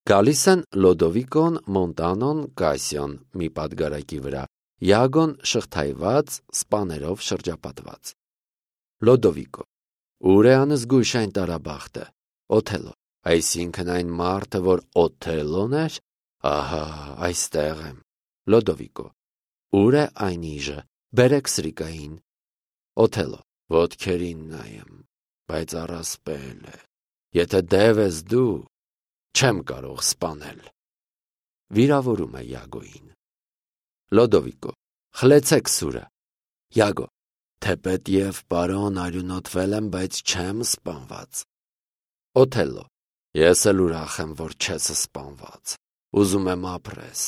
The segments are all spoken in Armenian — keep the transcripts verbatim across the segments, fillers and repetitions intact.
Գալիս են Լոդովիկոն, Մոնտանոն, Կասիոն մի պատգարակի վրա, Յագոն շղթայված, սպաներով շրջապատված։ Լոդովիկո. Ուր է անզգույշ այն տարաբախտը։ Օթելո. Այսինքն այն մարդը, որ Օթելոն էր, ահա, այստեղ եմ։ Լոդովիկո. Ուր է այն իժը, բերեք սրիկային։ Օթելո. Ոտքերին նայեմ, բայց առասպել է։ Եթե դև ես դու, չեմ կարող սպանել։ Վիրավորում է Յագոյին։ Լոդովիկո. Խլեցեք սուրը։ Յագո. Թեպետ և պարոն արյունոտվել եմ, բայց չեմ սպանված։ Օթելո. Ես էլ ուրախ եմ, որ չես սպանված։ Ուզում եմ ապրես։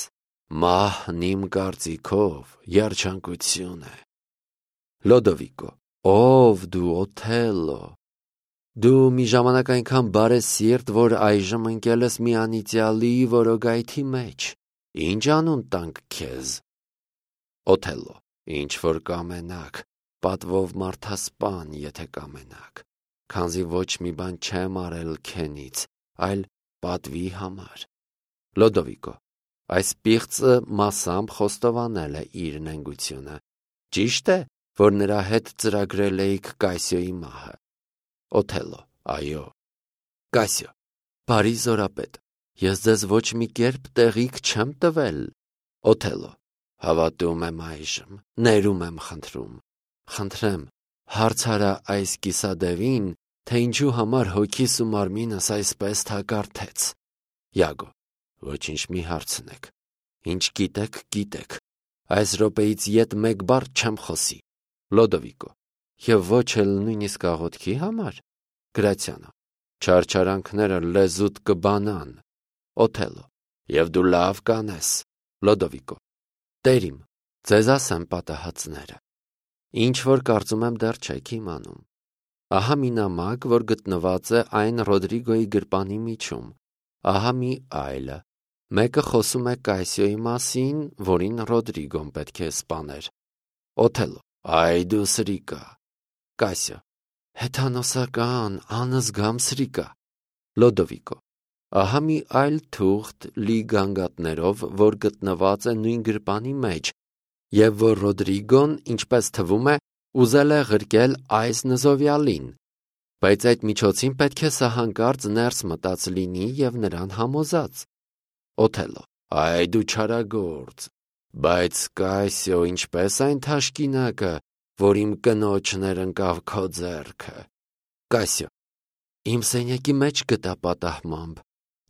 Մահն իմ կարծիքով երջանկություն է։ Լոդովիկո. Ով դու, Օթելո։ Դու մի ժամանակ այնքան բարեսիրտ, որ այժմ ընկել ես մի անիծյալի որոգայթի մեջ։ Ինչ անուն տանք քեզ։ Օթելո. Ինչ որ կամենաք, պատվով մարդասպան, եթե կամենաք, քանզի ոչ մի բան չեմ արել քենից, այլ պատվի համար։ Լոդովիկո. Այս պիղծը մասամբ խոստովանել է իր նենգությունը։ Ճիշտ է, որ նրա հետ ծրագրել էիք Կասիոյի մահը։ Օթելո. Այո։ Կասիո. Բարի զորապետ, ես ձեզ ոչ մի կերպ տեղիք չեմ տվել։ Օթելո. Հավատում եմ այժմ, ներում եմ խնդրում։ Խնդրեմ, հարցարա այս կիսադևին, թե ինչու համար հոգիս ու մարմինս այսպես թակարդեց։ Յագո. Ոչինչ մի հարցնեք։ Ինչ գիտեք, գիտեք։ Այս րոպեից ետ մեկ բառ չեմ խոսի։ Լոդովիկո. Եվ ոչ էլ նույնիսկ աղոթքի համար։ Գրացյանը. Չարչարանքները լեզուտ կբանան։ Օթելո. Եվ դու լավ կանես։ Լոդովիկո. Տերիմ, ձեզ ասեմ պատահածները։ Ինչ որ կարծում եմ դեռ չեք իմանում։ Ահա մի նամակ, որ գտնված է այն Ռոդրիգոյի գրպանի միջում։ Ահա մի այլը։ Մեկը խոսում է Կասիոյի մասին, որին Ռոդրիգոն պետք է սպաներ։ Օթելո. Այ դու սրիկա։ Կասիո. Հեթանոսական, անզգամ սրիկա։ Լոդովիկո. Ահա մի այլ թուղթ լի գանգատներով, որ գտնված է նույն գրպանի մեջ, և որ Ռոդրիգոն, ինչպես թվում է, ուզել է ղրկել այս նզովյալին, բայց այդ միջոցին պետք է սահանկարծ ներս մտած լինի և նրան համոզած։ Օթելո. Այ դու չարագործ, բայց Կասիո, ինչպես այն թաշկինակը, որ իմ կնոջներ ընկավ քո ձեռքը։ Կասիո. Իմ սենյակի մեջ գտա պատահմամբ,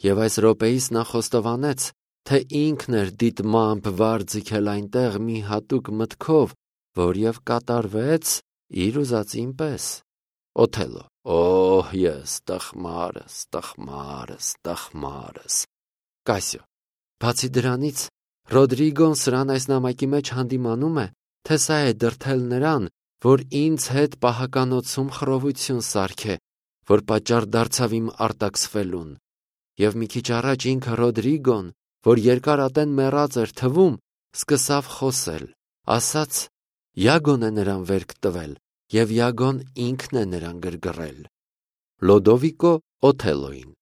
և այս րոպեիս նա խոստովանեց, թե ինքն էր դիտմամբ վար ձգել այնտեղ մի հատուկ մտքով, որ և կատարվեց իր ուզածին պես։ Օթելո. Օհ, ես տխմարս, տխմարս, տխմարս։ Կասիո. Բացի դրանից, Ռոդրիգոն սրան այս նամակի մեջ հանդիմանում է, թե սա է դրդել նրան, որ ինձ հետ պահականոցում խռովություն սարքե, որ պատճառ դարձավ իմ արտաքսվելուն։ Եվ մի քիչ առաջ ինքը Ռոդրիգոն, որ երկար ատեն մեռած էր թվում, սկսավ խոսել, ասաց. Յագոն է նրան վերք տվել, և Յագոն ինքն է նրան գրգռել։ Լոդովիկո Օթելոյին.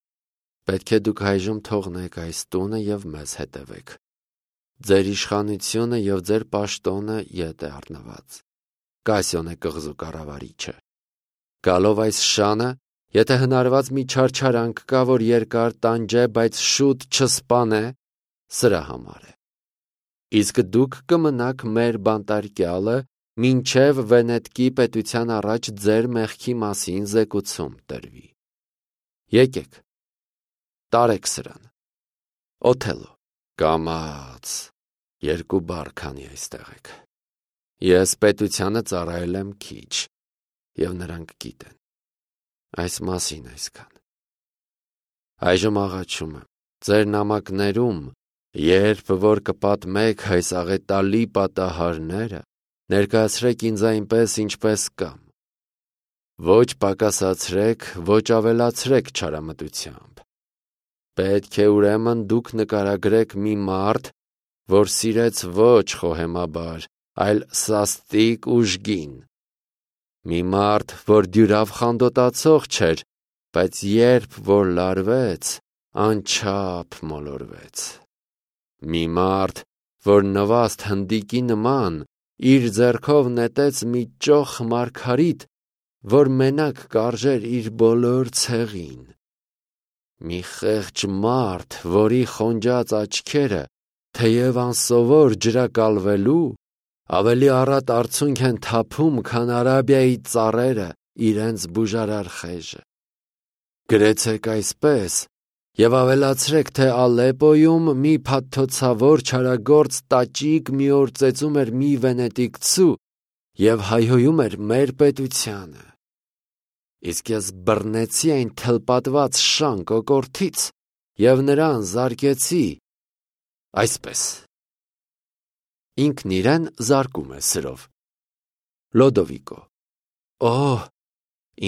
Պետք է դուք այժմ թողնեք այս տունը և մեզ հետևեք։ Ձեր իշխանությունը և ձեր պաշտոնը ետ է առնված։ Կասիոն է կղզու կառավարիչը։ Գալով այս շանը, եթե հնարված մի չարչարանք կա, որ երկար տանջե, բայց շուտ չսպանե, սրա համար է։ Իսկ դուք կմնաք մեր բանտարկյալը, մինչև Վենետկի պետության առաջ ձեր մեղքի մասին զեկուցում տրվի։ Եկեք, տարեք սրան։ Օթելո. Կամաց, երկու բառ քանի այստեղ եք։ Ես պետությանը ծառայել եմ քիչ, և նրանք գիտեն։ Այս մասին այսքան։ Այժմ աղաչում եմ, ձեր նամակներում, երբ որ կպատմեք այս աղետալի պատահարները, ներկայացրեք ինձ այնպես, ինչպես կամ։ Ոչ պակասացրեք, ոչ ավելացրեք չարամտությամբ։ Պետք է ուրեմն դուք նկարագրեք մի մարդ, որ սիրեց ոչ խոհեմաբար, այլ սաստիկ ուժգին։ Մի մարդ, որ դյուրավ խանդոտացող չէր, բայց երբ որ լարվեց, անչափ մոլորվեց։ Մի մարդ, որ նվաստ հնդիկի նման, իր ձեռքով նետեց մի ճոխ մարգարիտ, որ մենակ կարժեր իր բոլոր ցեղին։ Մի խեղճ մարդ, որի խոնջած աչքերը, թեև անսովոր ջրակալվելու, ավելի առատ արցունք են թափում, քան Արաբիայի ծառերը իրենց բուժարար խեժը։ Գրեցեք այսպես և ավելացրեք, թե Ալեպոյում մի փաթթոցավոր չարագործ տաճիկ մի օր ծեծում էր մի վենետիկցու և հայհոյում էր մեր պետությանը։ Իսկ ես բռնեցի այն թլպատված շան կոկորդից և նրան զարկեցի այսպես։ Ինքն իրեն զարկում է սրով։ Լոդովիկո. Օհ,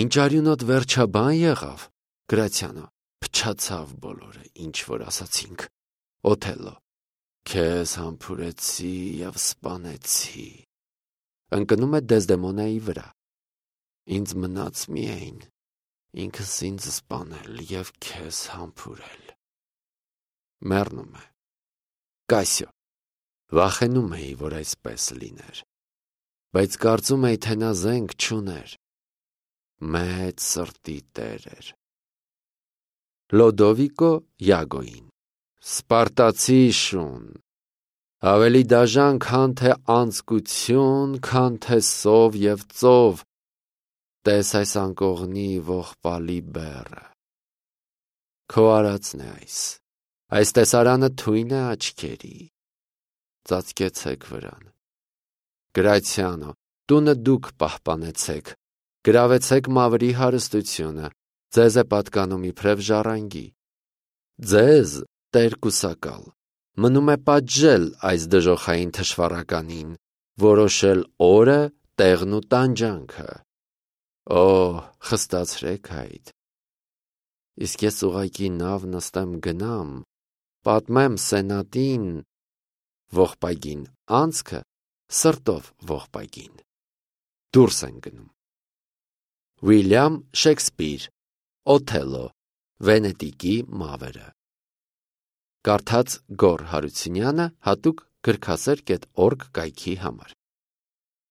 ինչ արյունոտ վերջաբան եղավ։ Գրացիանո. փչացավ բոլորը, ինչ որ ասացինք։ Օթելլո. քեզ համբուրեցի և սպանեցի։ Ընկնում է Դեզդեմոնայի վրա։ Ինձ մնաց միայն ինքս ինձ սպանել և քեզ համբուրել։ Մեռնում է։ Կասիո. վախենում էի, որ այսպես լիներ, բայց կարծում էի, թե նա զենք չուներ։ Մեծ սրտի տեր էր։ Լոդովիկո Յագոյին. Սպարտացի շուն, ավելի դաժան, քան թե անձկություն, քան թե սով և ծով, տես այս անկողնի ողբալի բեռը։ Քո արածն է այս, այս տեսարանը թույն է աչքերի։ Ծածկեցեք վրան։ Գրացիանո, տունը դուք պահպանեցեք, գրավեցեք մավրի հարստությունը, ձեզ է պատկանում իբրև ժառանգի։ Ձեզ, Տեր կուսակալ, մնում է պատժել այս դժոխային թշվառականին, որոշել օրը, տեղն ու տանջանքը։ Օ, խստացրեք այդ։ Իսկ ես ուղղակի նավ նստեմ գնամ, պատմեմ սենատին, ողբագին անցքը սրտով ողբագին։ Դուրս են գնում։ Ուիլյամ Շեքսպիր, Օթելլո, Վենետիկի մավերը։ Կարդաց Գոռ Հարությունյանը հատուկ գրքասեր կետ օրգ կայքի համար։